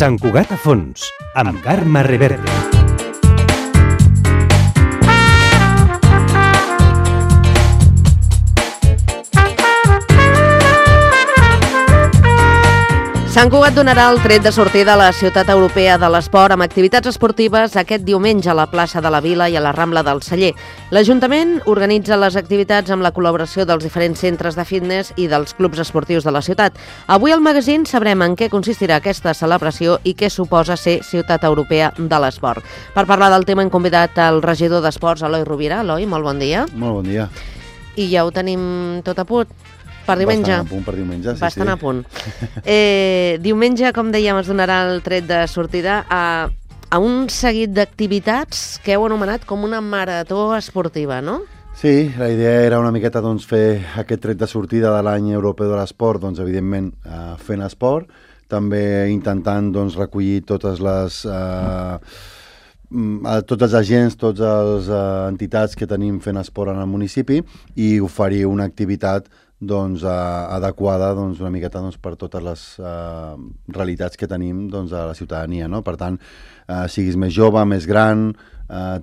Sant Cugat a fons, amb Carme Reverte. Sant Cugat donarà el tret de sortida a la Ciutat Europea de l'Esport amb activitats esportives aquest diumenge a la plaça de la Vila i a la Rambla del Celler. L'Ajuntament organitza les activitats amb la col·laboració dels diferents centres de fitness i dels clubs esportius de la ciutat. Avui al magazín sabrem en què consistirà aquesta celebració i què suposa ser Ciutat Europea de l'Esport. Per parlar del tema hem convidat el regidor d'Esports, Eloi Rovira. Eloi, molt bon dia. Molt bon dia. I ja ho tenim tot a punt. Per diumenge. Bastant a punt per diumenge, sí. Bastant a punt. Diumenge, com dèiem, es donarà el tret de sortida a un seguit d'activitats que heu anomenat com una marató esportiva, no? Sí, la idea era una miqueta fer aquest tret de sortida de l'any europeu de l'esport, evidentment fent esport, també intentant recollir totes les... tots els agents, totes les entitats que tenim fent esport en el municipi i oferir una activitat adequada una miqueta per totes les realitats que tenim a la ciutadania, no? Per tant, siguis més jove, més gran,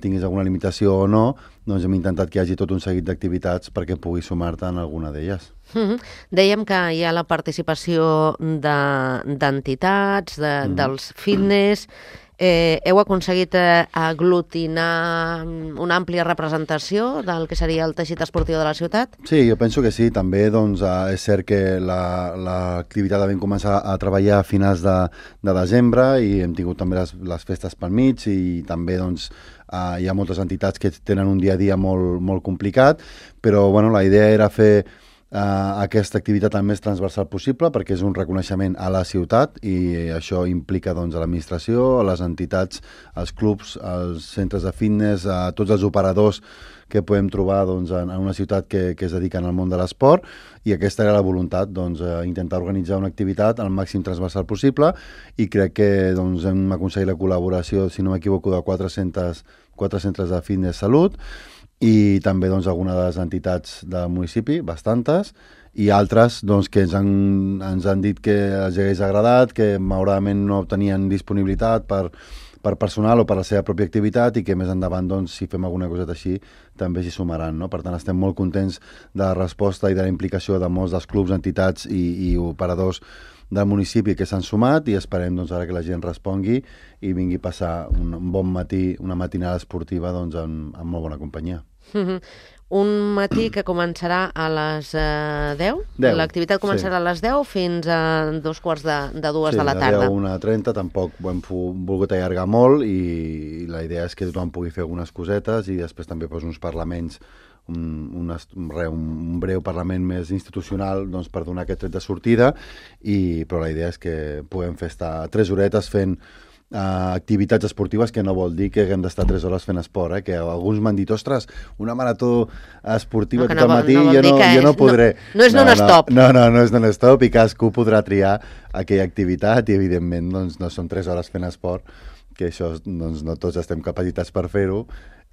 tinguis alguna limitació o no, hem intentat que hi hagi tot un seguit d'activitats perquè puguis sumar-te en alguna d'elles. Dèiem que hi ha la participació d'entitats, dels fitness. Heu aconseguit aglutinar una àmplia representació del que seria el teixit esportiu de la ciutat? Sí, jo penso que sí. També és cert que l'activitat la vam començar a treballar a finals de desembre i hem tingut també les festes pel mig i també hi ha moltes entitats que tenen un dia a dia molt complicat, però la idea era fer aquesta activitat el més transversal possible perquè és un reconeixement a la ciutat i això implica a l'administració, a les entitats, als clubs, als centres de fitness, a tots els operadors que podem trobar en una ciutat que es dediquen al món de l'esport i aquesta era la voluntat, intentar organitzar una activitat al màxim transversal possible i crec que hem aconseguit la col·laboració, si no m'equivoco, de 4 centres de fitness salut i també algunes de les entitats del municipi, bastantes, i altres que ens han dit que els hagués agradat, que malauradament no tenien disponibilitat per personal o per la seva pròpia activitat i que més endavant, si fem alguna coseta així, també s'hi sumaran, no? Per tant, estem molt contents de la resposta i de la implicació de molts dels clubs, entitats i operadors del municipi que s'han sumat i esperem ara que la gent respongui i vingui a passar un bon matí, una matinada esportiva amb molt bona companyia. Un matí que començarà a les 10? L'activitat començarà a les 10 fins a 2:45 de la tarda. Sí, a 1:30, tampoc ho hem volgut allargar molt i la idea és que tothom pugui fer algunes cosetes i després també uns parlaments, un breu parlament més institucional per donar aquest tret de sortida, però la idea és que puguem estar 3 horetes fent activitats esportives, que no vol dir que haguem d'estar 3 hores fent esport, que alguns m'han dit, ostres, una marató esportiva tot el matí, jo no podré. No és non-stop. No és non-stop i cadascú podrà triar aquella activitat i evidentment no són 3 hores fent esport, que això no tots estem capacitats per fer-ho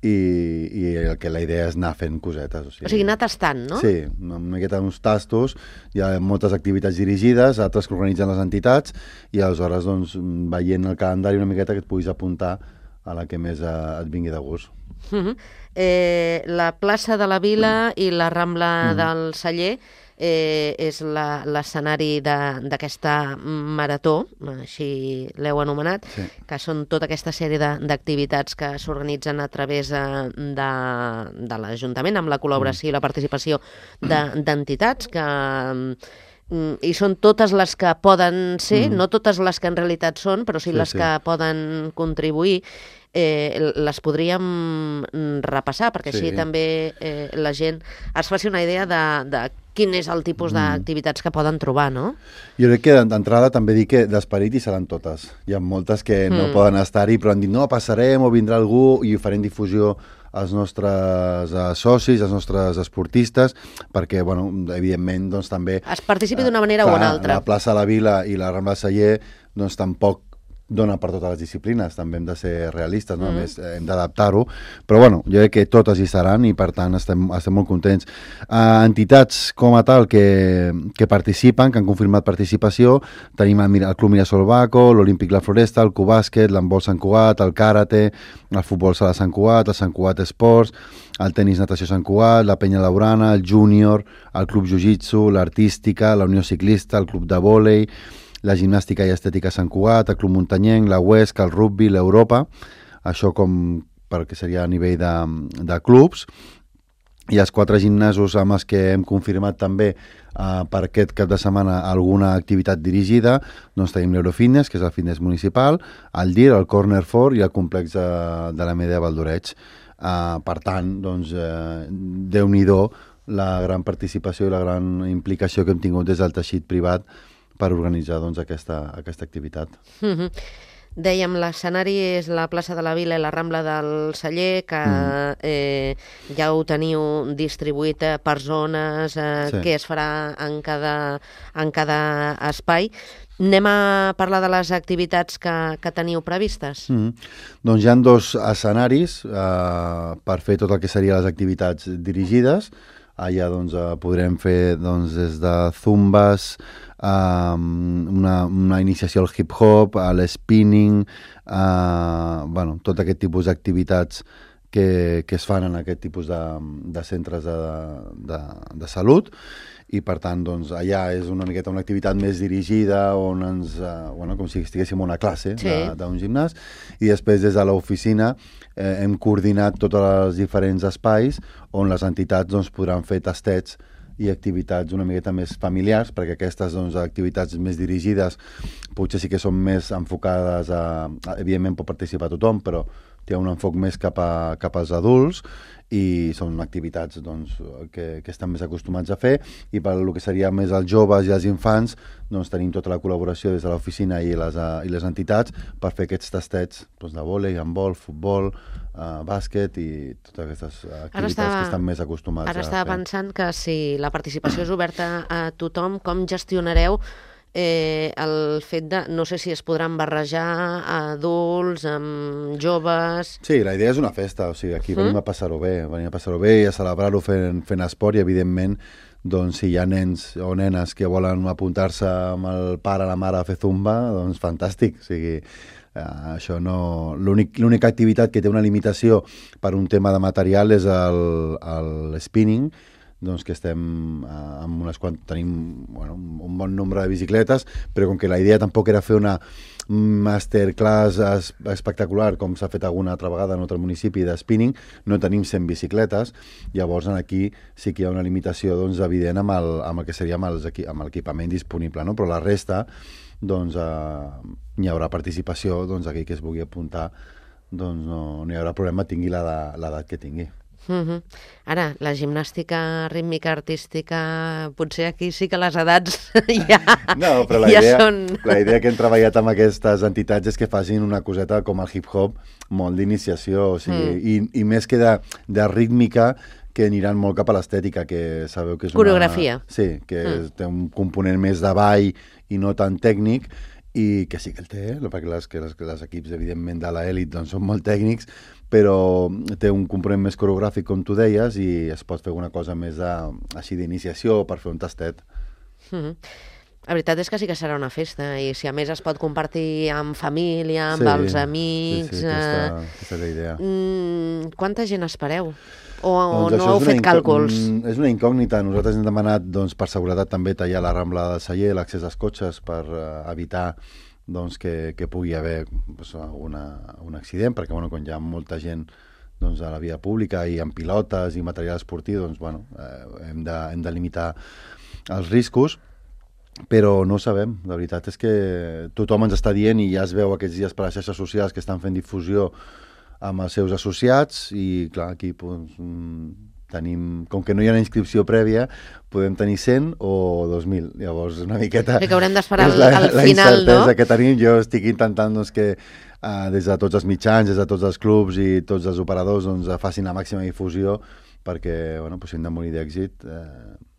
i que la idea és anar fent cosetes. O sigui, anar tastant, no? Sí, una miqueta uns tastos, hi ha moltes activitats dirigides, altres que organitzen les entitats i aleshores veient el calendari una miqueta que et puguis apuntar a la que més et vingui de gust. La plaça de la Vila i la Rambla del Celler és l'escenari d'aquesta marató, així l'heu anomenat, que són tota aquesta sèrie d'activitats que s'organitzen a través de l'Ajuntament, amb la col·laboració i la participació d'entitats i són totes les que poden ser, no totes les que en realitat són, però sí les que poden contribuir. Les podríem repassar, perquè així també la gent es faci una idea de quin és el tipus d'activitats que poden trobar, no? Jo crec que d'entrada també dic que d'esperit hi seran totes. Hi ha moltes que no poden estar-hi, però han dit no, passarem o vindrà algú i farem difusió als nostres socis, als nostres esportistes, perquè, evidentment, també... Es participi d'una manera o una altra. La plaça de la Vila i la Rambla del Celler, tampoc dona per totes les disciplines, també hem de ser realistes, no? A més, hem d'adaptar-ho, però bueno, jo crec que totes hi seran i per tant estem molt contents. Entitats com a tal que participen, que han confirmat participació, tenim el Club Mirasol Baco, l'Olímpic La Floresta, el Cubàsquet, l'handbol Sant Cugat, el Karate, el futbol sala Sant Cugat, el Sant Cugat Esports, el tenis natació Sant Cugat, la Penya Laurana, el Júnior, el Club Jiu-Jitsu, l'Artística, la Unió Ciclista, el Club de Vòlei, la Gimnàstica i Estètica Sant Cugat, el Club Muntanyenc, la Huesca, el Rugby, l'Europa, això com perquè seria a nivell de clubs, i els 4 gimnasos amb els que hem confirmat també per aquest cap de setmana alguna activitat dirigida, doncs tenim l'Eurofitness, que és el fitness municipal, el DIR, el Corner Fort i el complex de la Medea Valdoreig. Per tant, doncs, Déu-n'hi-do la gran participació i la gran implicació que hem tingut des del teixit privat per organitzar doncs, aquesta activitat. Dèiem, l'escenari és la plaça de la Vila i la Rambla del Celler, que ja ho teniu distribuït per zones, Sí. què es farà en cada espai. Anem a parlar de les activitats que teniu previstes? Doncs hi ha 2 escenaris per fer tot el que serien les activitats dirigides. Allà doncs, podrem fer doncs, des de zumbes, una iniciació al hip-hop, a l'spinning, tot aquest tipus d'activitats que es fan en aquest tipus de centres de salut, i per tant doncs, allà és una miqueta una activitat més dirigida on com si estiguéssim en una classe d'un gimnàs, i després des de l'oficina hem coordinat tots els diferents espais on les entitats doncs, podran fer tastets i activitats una miqueta més familiars, perquè aquestes doncs, activitats més dirigides potser sí que són més enfocades evidentment pot participar tothom, però té un enfoc més cap als adults, i són activitats doncs, que estan més acostumats a fer, i per el que seria més els joves i els infants doncs, tenim tota la col·laboració des de l'oficina i les entitats per fer aquests tastets doncs, de vòlei, handbol, futbol, bàsquet i totes aquestes activitats que estan més acostumats a fer. Ara estava pensant que si la participació és oberta a tothom, com gestionareu el fet de, no sé si es podran barrejar adults amb joves... Sí, la idea és una festa, o sigui, aquí venim a passar-ho bé, i a celebrar-ho fent esport, i evidentment, doncs, si hi ha nens o nenes que volen apuntar-se amb el pare o la mare a fer zumba, doncs fantàstic, o sigui... això no... L'única activitat que té una limitació per un tema de material és el spinning, doncs que estem amb tenim un bon nombre de bicicletes, però com que la idea tampoc era fer una masterclass espectacular com s'ha fet alguna altra vegada en un altre municipi de spinning, no tenim 100 bicicletes, llavors aquí sí que hi ha una limitació doncs, evident amb el que seria amb l'equipament disponible, no? Però la resta doncs hi haurà participació, doncs aquell que es vulgui apuntar doncs no hi haurà problema, tingui l'edat que tingui. Ara, la gimnàstica rítmica artística, potser aquí sí que les edats ja, no, però la idea que hem treballat amb aquestes entitats és que facin una coseta com el hip-hop, molt d'iniciació, o sigui, i més que de rítmica, que aniran molt cap a l'estètica, que sabeu que és coreografia. Sí, que té un component més de ball i no tan tècnic, i que sí que el té, perquè les equips, evidentment, de l'elit doncs, són molt tècnics, però té un component més coreogràfic, com tu deies, i es pot fer una cosa més així d'iniciació per fer un tastet. La veritat és que sí que serà una festa, i si a més es pot compartir amb família, amb els amics... Sí, aquesta és la idea. Quanta gent espereu? O doncs no heu fet càlculs? És una incògnita. Nosaltres hem demanat doncs, per seguretat també tallar la Rambla del Celler, l'accés als cotxes, per evitar doncs, que pugui haver doncs, un accident, perquè quan hi ha molta gent doncs, a la via pública i amb pilotes i material esportiu, doncs, hem de limitar els riscos, però no ho sabem. La veritat és que tothom ens està dient, i ja es veu aquests dies per les xarxes socials que estan fent difusió amb els seus associats, i clar, aquí doncs, tenim, com que no hi ha una inscripció prèvia, podem tenir 100 o 2.000. Llavors, una miqueta... Que haurem d'esperar al final, no? La incertesa que tenim. Jo estic intentant doncs, que des de tots els mitjans, des de tots els clubs i tots els operadors doncs, facin la màxima difusió perquè, si hem de morir d'èxit,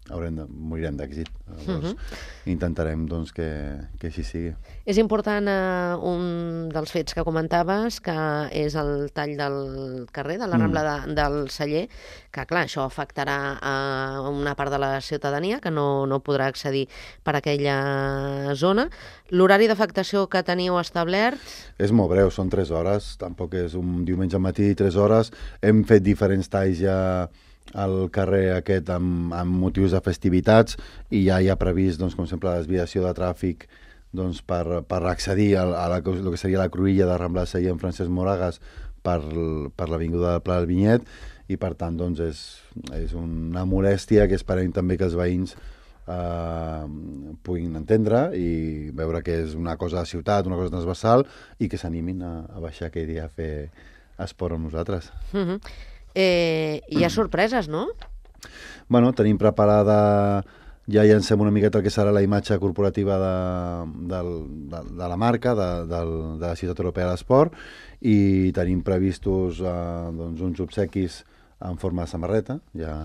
morirem d'èxit. Llavors, intentarem doncs, que així sigui. És important un dels fets que comentaves, que és el tall del carrer, de la Rambla del Celler, que clar, això afectarà a una part de la ciutadania que no podrà accedir per aquella zona. L'horari d'afectació que teniu establert? És molt breu, són 3 hores, tampoc és un diumenge al matí, 3 hores. Hem fet diferents talls ja al carrer aquest amb motius de festivitats i ja hi ha previst, doncs, com sempre, la desviació de tràfic doncs, per accedir a el que seria la cruïlla de Rambla del Celler en Francesc Moragas per l'avinguda del Pla del Vinyet, i per tant doncs, és una molèstia que esperem també que els veïns puguin entendre i veure que és una cosa de ciutat, una cosa transversal, i que s'animin a baixar aquell dia a fer esport amb nosaltres. Hi ha sorpreses, no? Bueno, tenim preparada, ja llancem una miqueta el que serà la imatge corporativa de la marca, de la Ciutat Europea de l'Esport, i tenim previstos doncs, uns obsequis en forma de samarreta, ja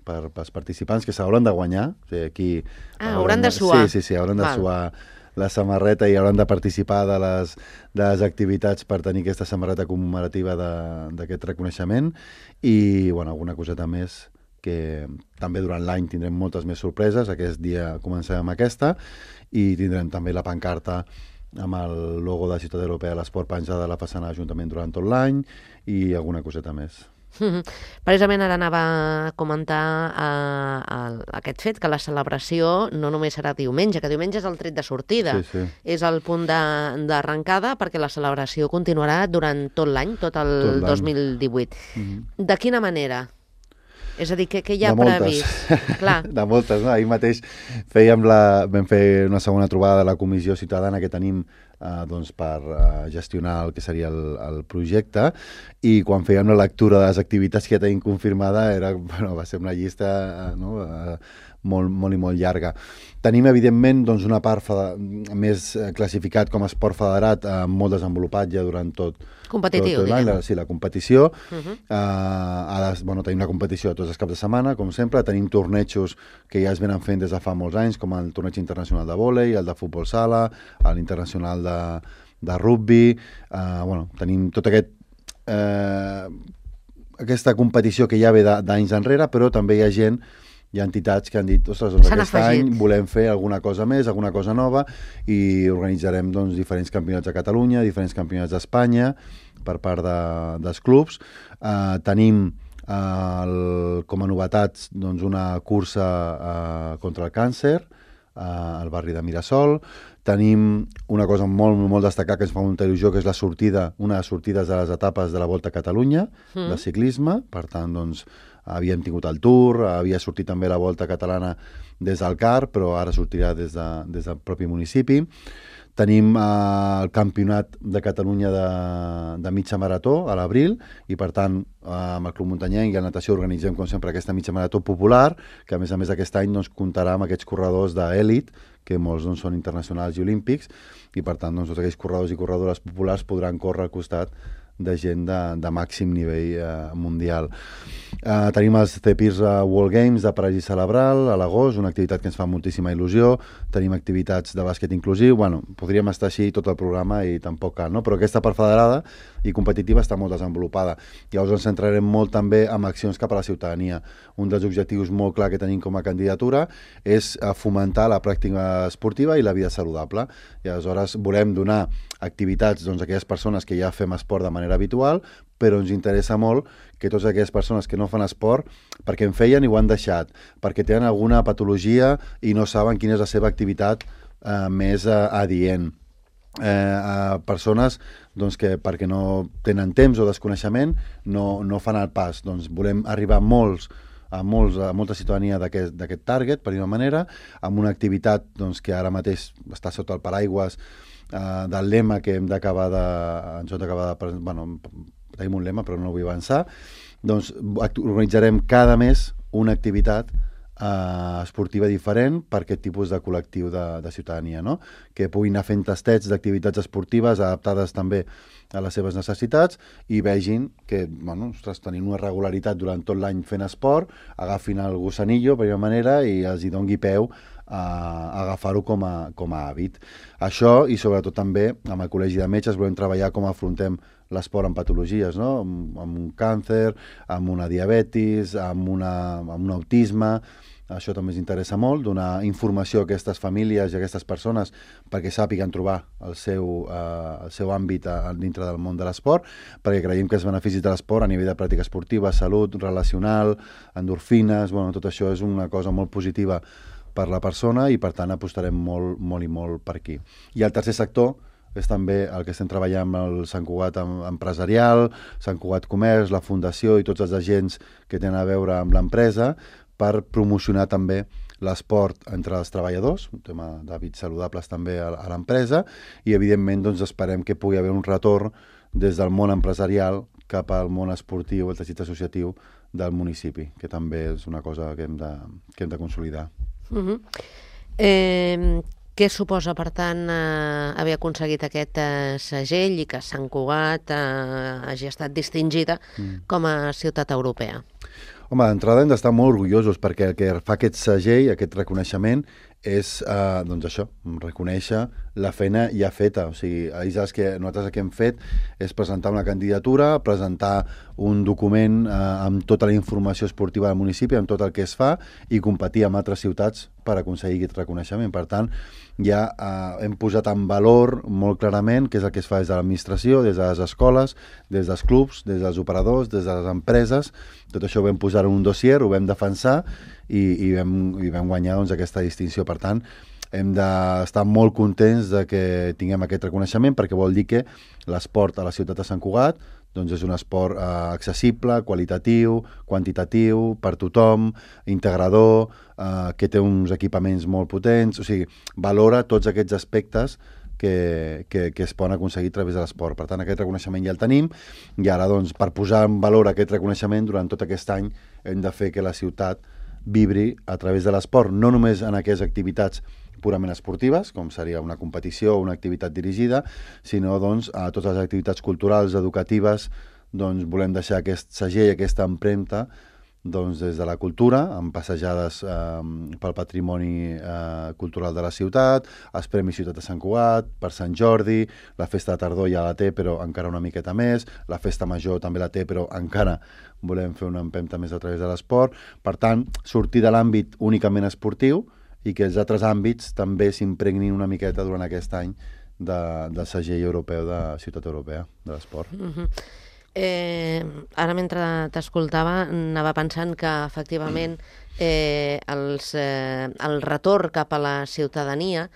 pels participants, que s'hauran de guanyar. O sigui, aquí hauran de suar. Sí, hauran de suar la samarreta i hauran de participar de les activitats per tenir aquesta samarreta commemorativa d'aquest reconeixement, i bueno, alguna coseta més, que també durant l'any tindrem moltes més sorpreses. Aquest dia començarem amb aquesta, i tindrem també la pancarta amb el logo de la Ciutat Europea de l'Esport penjada a la façana de l'Ajuntament durant tot l'any, i alguna coseta més. Precisament ara anava a comentar aquest fet, que la celebració no només serà diumenge, que diumenge és el tret de sortida, és el punt d'arrencada, perquè la celebració continuarà durant tot l'any, tot el 2018. De quina manera? És a dir, què hi ha previst? Clar. De moltes, no? Ahir mateix vam fer una segona trobada de la Comissió Ciutadana que tenim doncs, per gestionar el que seria el projecte, i quan fèiem la lectura de les activitats que ja tenim confirmada va ser una llista molt i molt llarga. Tenim, evidentment, doncs, una part més classificat com a esport federat, molt desenvolupat ja durant tot l'any. Sí, la competició. Tenim una competició de tots els caps de setmana, com sempre. Tenim tornejos que ja es venen fent des de fa molts anys, com el torneig internacional de vòlei, el de futbol sala, l'internacional de rugby. Tenim tot aquesta competició que ja ve d'anys enrere, però també hi ha entitats que han dit, ostres, doncs aquest any volem fer alguna cosa més, alguna cosa nova, i organitzarem doncs, diferents campionats de Catalunya, diferents campionats d'Espanya per part dels clubs. Tenim com a novetats doncs, una cursa contra el càncer al barri de Mirasol. Tenim una cosa molt destacada que ens fa molta il·lusió, que és una de les sortides de les etapes de la Volta a Catalunya, de ciclisme. Per tant, doncs, havíem tingut el Tour, havia sortit també la Volta Catalana des del CAR, però ara sortirà des del propi municipi. Tenim el Campionat de Catalunya de mitja marató a l'abril, i per tant amb el Club Muntanyenc i la natació organitzem com sempre aquesta mitja marató popular, que a més aquest any doncs, comptarà amb aquests corredors d'èlit, que molts doncs, són internacionals i olímpics, i per tant doncs, tots aquells corredors i corredores populars podran córrer al costat de gent de màxim nivell mundial. Tenim els Cepirs World Games de París Celebral a l'agost, una activitat que ens fa moltíssima il·lusió. Tenim activitats de bàsquet inclusiu. Podríem estar així tot el programa i tampoc cal, no? Però aquesta part federada i competitiva està molt desenvolupada. Llavors ens centrarem molt també en accions cap a la ciutadania. Un dels objectius molt clar que tenim com a candidatura és fomentar la pràctica esportiva i la vida saludable. I aleshores volem donar activitats a aquelles persones que ja fem esport de manera habitual, però ens interessa molt que totes aquelles persones que no fan esport, perquè en feien i ho han deixat, perquè tenen alguna patologia i no saben quina és la seva activitat més adient. Persones que perquè no tenen temps o desconeixement no fan el pas. Doncs volem arribar a molta ciutadania d'aquest target, per dir-ho manera, amb una activitat que ara mateix està sota el paraigües del lema que hem d'acabar tenim un lema però no vull avançar. Doncs organitzarem cada mes una activitat esportiva diferent per aquest tipus de col·lectiu de ciutadania, no? Que puguin anar fent tastets d'activitats esportives adaptades també a les seves necessitats i vegin que, bueno, ostres, tenint una regularitat durant tot l'any fent esport, agafin el gossanillo, per una manera, i els hi doni peu a agafar-ho com a hàbit. Això, i sobretot també amb el Col·legi de Metges volem treballar com afrontem l'esport amb patologies, no? Amb un càncer, amb una diabetis, amb un autisme. Això també ens interessa molt, donar informació a aquestes famílies i a aquestes persones perquè sàpiguen trobar el seu àmbit dintre del món de l'esport, perquè creiem que els beneficis de l'esport a nivell de pràctica esportiva, salut, relacional, endorfines, bueno, tot això és una cosa molt positiva per la persona i per tant apostarem molt, molt i molt per aquí. I el tercer sector és també el que estem treballant amb el Sant Cugat Empresarial, Sant Cugat Comerç, la Fundació i tots els agents que tenen a veure amb l'empresa per promocionar també l'esport entre els treballadors, un tema d'hàbits saludables també a l'empresa, i evidentment doncs, esperem que pugui haver un retorn des del món empresarial cap al món esportiu, el teixit associatiu del municipi, que també és una cosa que hem de consolidar. Què suposa, per tant, haver aconseguit aquest segell i que Sant Cugat hagi estat distingida com a ciutat europea? Home, d'entrada hem d'estar molt orgullosos perquè el que fa aquest segell, aquest reconeixement, és doncs això, reconèixer la feina ja feta. O sigui, nosaltres el que hem fet és presentar una candidatura, presentar un document amb tota la informació esportiva del municipi, amb tot el que es fa, i competir amb altres ciutats per aconseguir aquest reconeixement. Per tant, ja hem posat en valor molt clarament què és el que es fa des de l'administració, des de les escoles, des dels clubs, des dels operadors, des de les empreses. Tot això ho vam posar en un dossier, ho vam defensar i vam guanyar doncs, aquesta distinció. Per tant, hem d'estar molt contents de que tinguem aquest reconeixement perquè vol dir que l'esport a la ciutat de Sant Cugat doncs és un esport accessible, qualitatiu, quantitatiu, per tothom, integrador, que té uns equipaments molt potents, o sigui, valora tots aquests aspectes que es poden aconseguir a través de l'esport. Per tant, aquest reconeixement ja el tenim i ara, doncs, per posar en valor aquest reconeixement, durant tot aquest any hem de fer que la ciutat vibri a través de l'esport, no només en aquestes activitats purament esportives, com seria una competició o una activitat dirigida, sinó doncs, a totes les activitats culturals, educatives, doncs, volem deixar aquest segell, aquesta empremta, doncs, des de la cultura, amb passejades pel patrimoni cultural de la ciutat, els Premis Ciutat de Sant Cugat, per Sant Jordi, la festa de tardor ja la té, però encara una miqueta més, la festa major també la té, però encara volem fer una empenta més a través de l'esport. Per tant, sortir de l'àmbit únicament esportiu i que els altres àmbits també s'impregnin una miqueta durant aquest any del segell europeu de Ciutat Europea de l'Esport. Ara, mentre t'escoltava, anava pensant que, efectivament, el retorn cap a la ciutadania,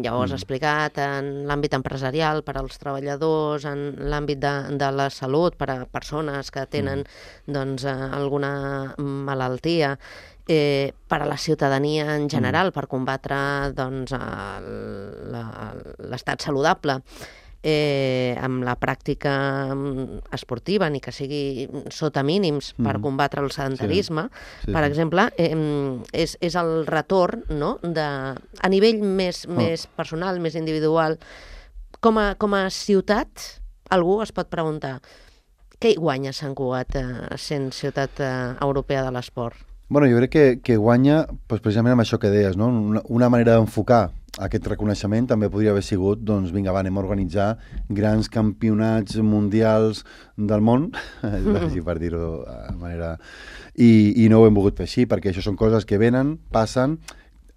ja ho has explicat, en l'àmbit empresarial, per als treballadors, en l'àmbit de la salut, per a persones que tenen doncs, alguna malaltia, per a la ciutadania en general, per combatre doncs, l'estat saludable, amb la pràctica esportiva, ni que sigui sota mínims, per combatre el sedentarisme, per exemple, és el retorn, no? A nivell més personal, més individual. Com a ciutat, algú es pot preguntar què hi guanya Sant Cugat sent ciutat europea de l'esport? Bueno, jo crec que guanya precisament amb això que deies, no? Una manera d'enfocar aquest reconeixement també podria haver sigut, doncs vinga, anem a organitzar grans campionats mundials del món, per dir-ho de manera... I no ho hem volgut fer així, perquè això són coses que venen, passen,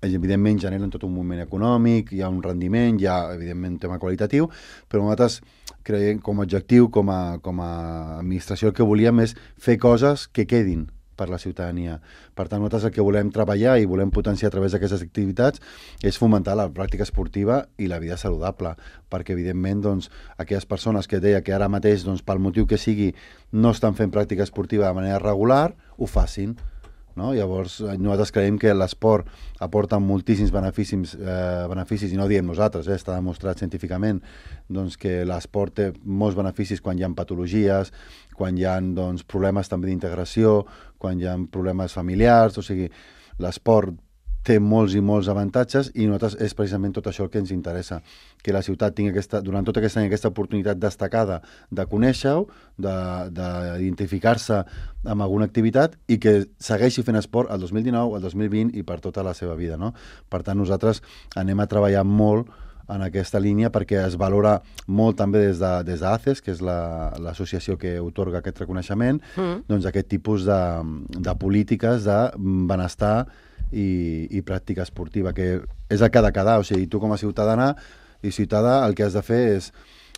evidentment generen tot un moviment econòmic, hi ha un rendiment, hi ha evidentment un tema qualitatiu, però nosaltres creiem com a objectiu, com a administració, el que volíem és fer coses que quedin per la ciutadania. Per tant, nosaltres el que volem treballar i volem potenciar a través d'aquestes activitats és fomentar la pràctica esportiva i la vida saludable, perquè evidentment doncs, aquelles persones que deia que ara mateix, doncs, pel motiu que sigui, no estan fent pràctica esportiva de manera regular, ho facin. No? Llavors, nosaltres creiem que l'esport aporta moltíssims beneficis, i no ho diem nosaltres, està demostrat científicament doncs, que l'esport té molts beneficis quan hi ha patologies, quan hi ha doncs, problemes també d'integració, quan hi ha problemes familiars, o sigui, l'esport té molts i molts avantatges i nosaltres és precisament tot això el que ens interessa, que la ciutat tingui durant tot aquest any aquesta oportunitat destacada de conèixer-ho, d'identificar-se amb alguna activitat i que segueixi fent esport el 2019, el 2020 i per tota la seva vida, no? Per tant, nosaltres anem a treballar molt en aquesta línia perquè es valora molt també des d'ACES, que és l'associació que otorga aquest reconeixement, doncs aquest tipus de polítiques de benestar i pràctica esportiva, que és el que ha de quedar. O sigui, tu com a ciutadà el que has de fer és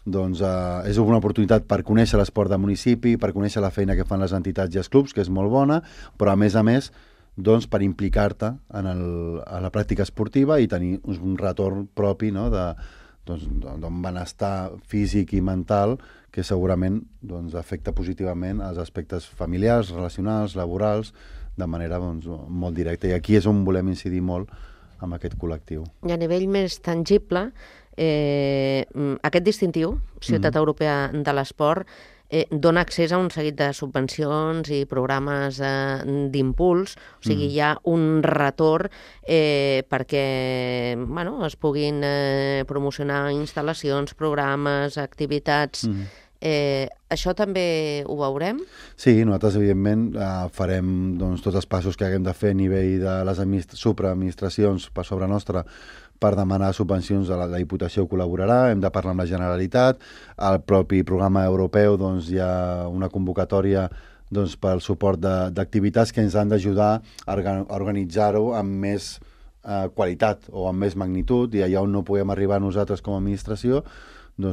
és una oportunitat per conèixer l'esport del municipi, per conèixer la feina que fan les entitats i els clubs, que és molt bona, però a més, per implicar-te en la pràctica esportiva i tenir un retorn propi, no?, d'un benestar físic i mental que segurament afecta positivament els aspectes familiars, relacionals, laborals, de manera molt directa. I aquí és on volem incidir molt amb aquest col·lectiu. I a nivell més tangible, aquest distintiu, Ciutat Europea de l'Esport, dona accés a un seguit de subvencions i programes d'impuls, o sigui, hi ha un retorn perquè es puguin promocionar instal·lacions, programes, activitats. Això també ho veurem? Sí, nosaltres evidentment farem tots els passos que haguem de fer a nivell de les supraadministracions per sobre nostra per demanar subvencions. La Diputació col·laborarà, hem de parlar amb la Generalitat, al propi programa europeu hi ha una convocatòria pel suport d'activitats que ens han d'ajudar a organitzar-ho amb més qualitat o amb més magnitud, i allà on no podem arribar nosaltres com a administració,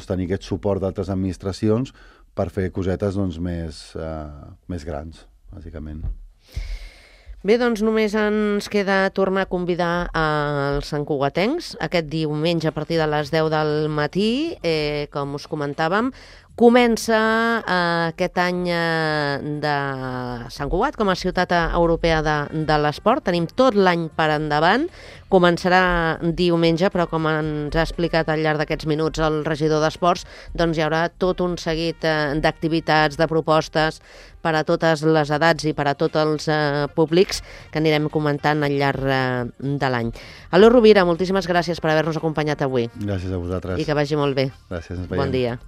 tenir aquest suport d'altres administracions per fer cosetes més grans, bàsicament. Bé, doncs només ens queda tornar a convidar els santcugatencs aquest diumenge a partir de les 10 del matí, com us comentàvem. Comença aquest any de Sant Cugat com a ciutat europea de l'esport. Tenim tot l'any per endavant. Començarà diumenge, però com ens ha explicat al llarg d'aquests minuts el regidor d'Esports, doncs hi haurà tot un seguit d'activitats, de propostes per a totes les edats i per a tots els públics que anirem comentant al llarg de l'any. Aló Rovira, moltíssimes gràcies per haver-nos acompanyat avui. Gràcies a vosaltres. I que vagi molt bé. Gràcies, ens veiem. Bon dia.